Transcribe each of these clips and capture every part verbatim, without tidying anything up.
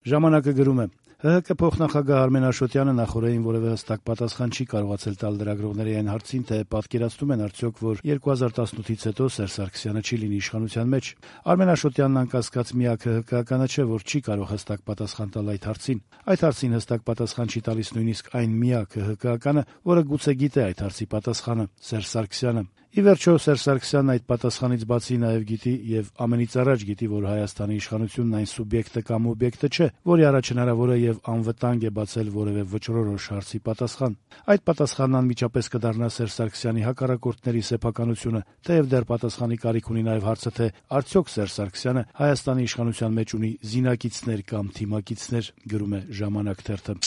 Ժամանակը գրում է. «ՀՀԿ փոխնախագահ Արմեն Աշոտյանը նախօրեին որևէ հստակ պատասխան չի կարողացել տալ լրագրողների այն հարցին, թե պատկերացնում են արդյոք, որ երկու հազար տասնութից հետո Սերժ Սարգսյանը չի լինի իշխանության մեջ։ Արմեն Աշոտյանն անկասկած միակ ՀՀԿ-ականը չէ, որ չի կարող հստակ պատասխան տալ այդ հարցին։ Այդ հարցին հստակ պատասխան չի տալիս նույնիսկ այն միակ ՀՀԿ-ականը, որը գուցե գիտե այդ հարցի պատասխանը՝ Սերժ Սարգսյանը։ Ի վերջո, Սերժ Սարգսյանն այդ պատասխանից բացի նաև գիտի եւ ամենից առաջ գիտի, որ Հայաստանի իշխանությունն այն սուբյեկտը կամ օբյեկտը չէ, որի առաջ հնարավոր է եւ անվտանգ է բացել որևէ վճռորոշ հարցի պատասխան։ Այդ պատասխանն անմիջապես կդառնա Սերժ Սարգսյանի հակառակորդների սեփականությունը, թեև դեռ պատասխանի կարիք ունի նաև հարցը, թե արդյոք Սերժ Սարգսյանը Հայաստանի իշխանության մեջ ունի զինակիցներ կամ թիմակիցներ, գրում է «Ժամանակ» թերթը։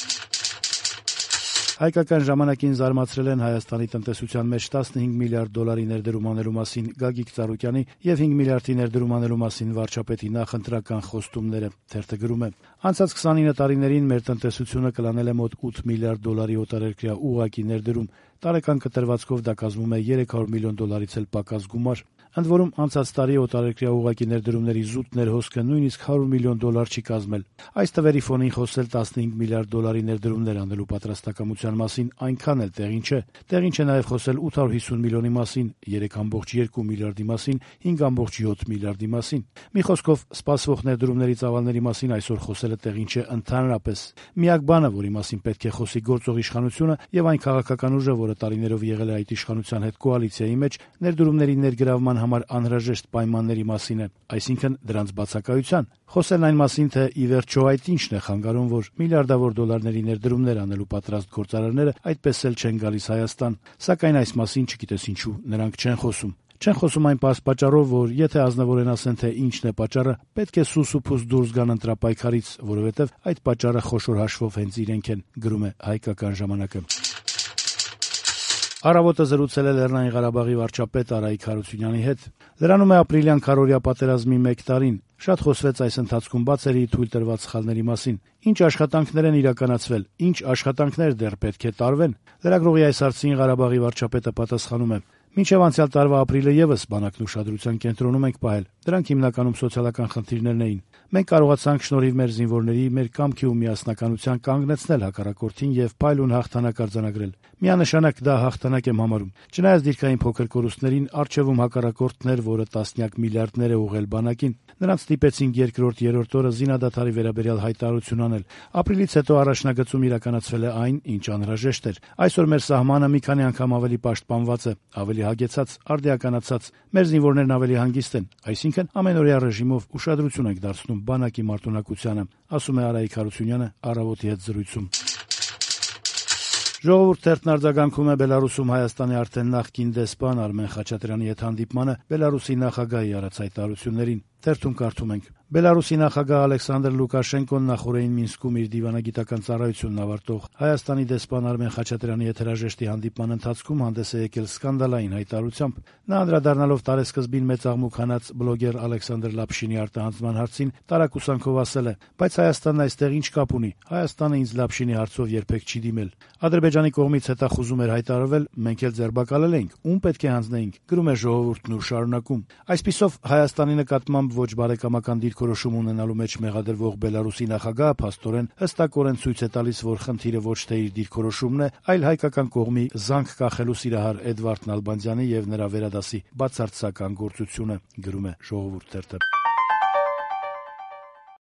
Հայկական ժամանակին զարմացրել են Հայաստանի տնտեսության մեջ տասնհինգ միլիարդ դոլարի ներդրում անելու մասին Գագիկ Ծառուկյանի եւ հինգ միլիարդի ներդրում անելու մասին վարչապետի նախընտրական խոստումները։ Թերթը գրում է. «Անցած քսանինը տարիներին մեր տնտեսությունը կլանել է մոտ ութ միլիարդ դոլարի օտարերկրյա ուղղակի ներդրում։ Տարեկան կտրվածքով դա կազմում է երեք հարյուր միլիոն դոլարից էլ պակաս գումար։ Ընդ որում, անցած տարի օտարերկրյա ուղղակի ներդրումների զուտ ներհոսքը նույնիսկ հարյուր միլիոն դոլար չի կազմել։ Այս թվերի ֆոնին խոսել տասնհինգ միլիարդ դոլարի ներդրումներ անելու պատրաստակամության մասին այնքան էլ տեղին չէ։ Տեղին չէ նաև խոսել ութ հարյուր հիսուն միլիոնի մասին, երեք կόμma երկու միլիարդի մասին, հինգ կόμma յոթ միլիարդի մասին։ Մի խոսքով, սպասվող ներդրումների ծավալների մասին այսօր խոսելը տեղին չէ ընդհանրապես։ Միակ բանը, որի մասին պետք է խոսի գործող իշխանությունը եւ այն քաղաքական ուժը, որը տարիներով եղել է այդ իշխանության հետ կոալիցիայի մեջ, ներդրումների ներգրավման համար անհրաժեշտ պայմանների մասին է, այսինքն դրանց բացակայության։ Խոսելն այն մասին, թե ի վերջո այդ ինչն է խանգարում, որ միլիարդավոր դոլարների ներդրումներ անելու պատրաստ գործարարները այդպես էլ չեն գալիս Հայաստան։ Սակայն այս մասին չգիտես ինչու նրանք չեն խոսում։ Չեն խոսում այն պարզ պատճառով, որ եթե ազնվորեն ասեն, թե ինչն է պատճառը, պետք է սուս ու փուս դուրս գան ընտրապայքարից, որովհետև այդ պատճառը խոշոր հաշվով հենց իրենք են, գրում է Հայկական ժամանակը։ Առավոտը զրուցել է Լեռնային Ղարաբաղի վարչապետ Արայիկ Հարությունյանի հետ։ Լրանում է ապրիլյան քարոզիա պատերազմի մեկ տարին։ Շատ խոսվեց այս ընթացքում բացերի թույլ տրված սխալների մասին։ Ինչ աշխատանքներ են իրականացվել, ինչ աշխատանքներ դեռ պետք է տարվեն։ Լրագրողի այս հարցին Ղարաբաղի վարչապետը պատասխանում է. «Մինչև անցյալ տարվա ապրիլը եւս բանակն ուշադրության կենտրոնում ենք պահել։ Դրանք հիմնականում սոցիալական խնդիրներն էին։ Մենք կարողացանք շնորհիվ մեր զինվորների, մեր կամքի ու միասնականության կանգնեցնել հակառակորդին եւ փայլուն հաղթանակ արձանագրել։ Միանշանակ դա հաղթանակ եմ համարում։ Չնայած դիրքային փոքր կորուստներին, առջևում հակառակորդներ, որը տասնյակ միլիարդներ է ուղղել բանակին, նրանց ստիպեցինք երկրորդ-երրորդ օրը զինադադարի վերաբերյալ հայտարարություն անել։ Ապրիլից հետո առաջնագծում իրականացվել է այն, ինչ անհրաժեշտ էր։ Այսօր մեր սահմանը մի քանի անգամ ավելի պաշտպանված է, ավելի հագեցած, արդիականացած։ Մեր զինվորներն ավելի հանգիստ են, այսինքն ամենօրյա ռեժիմով ուշադրություն ենք դարձնում բանակի մարտունակությանը», ասում է Արայիկ Հարությունյանը Առավոտի հետ զրույցում։ Ժողովուրդ թերթն արձագանքում է Բելարուսում Հայաստանի արդեն նախկին դեսպան Արմեն Խաչատրյանի հետ հանդիպմանը Բելարուսի նախագահի արած հայտարարություններին։ Թերթում կարդում ենք. Բելարուսի նախագահ Ալեքսանդր Լուկաշենկոն նախօրեին Մինսկում իր դիվանագիտական ծառայությունն ավարտող Հայաստանի դեսպան Արմեն Խաչատրյանի հետ հրաժեշտի հանդիպման ընթացքում հանդես է եկել սկանդալային հայտարարությամբ։ Նա անդրադառնալով տարեսկզբին մեծ աղմուկ հանած բլոգեր Ալեքսանդր Լապշինի արտահանձնման հարցին տարակուսանքով ասել է. «Բայց Հայաստանն այստեղ ինչ կապ ունի։ Հայաստանը ինձ Լապշինի հարցով երբեք չի դիմել»։ Ադրբեջանի կողմից հետախուզում էր հայտարարվել, մենք էլ ձերբակալել ենք, ում պետք է հանձնեինք, գրում է Ժողովուրդն ու շարունակում. «Այսպիսով Հայաստանի նկատմամբ ոչ բարեկամական դիրքորոշում ունենալու մեջ մեղադրվող Բելարուսի նախագահը փաստորեն հստակորեն ցույց է տալիս, որ խնդիրը ոչ թե իր դիրքորոշումն է, այլ հայկական կողմի զանգ կախելու սիրահար Էդվարդ Նալբանդյանի եւ նրա վերադասի բացարձական գործությունը», գրում է Ժողովուրդ թերթը։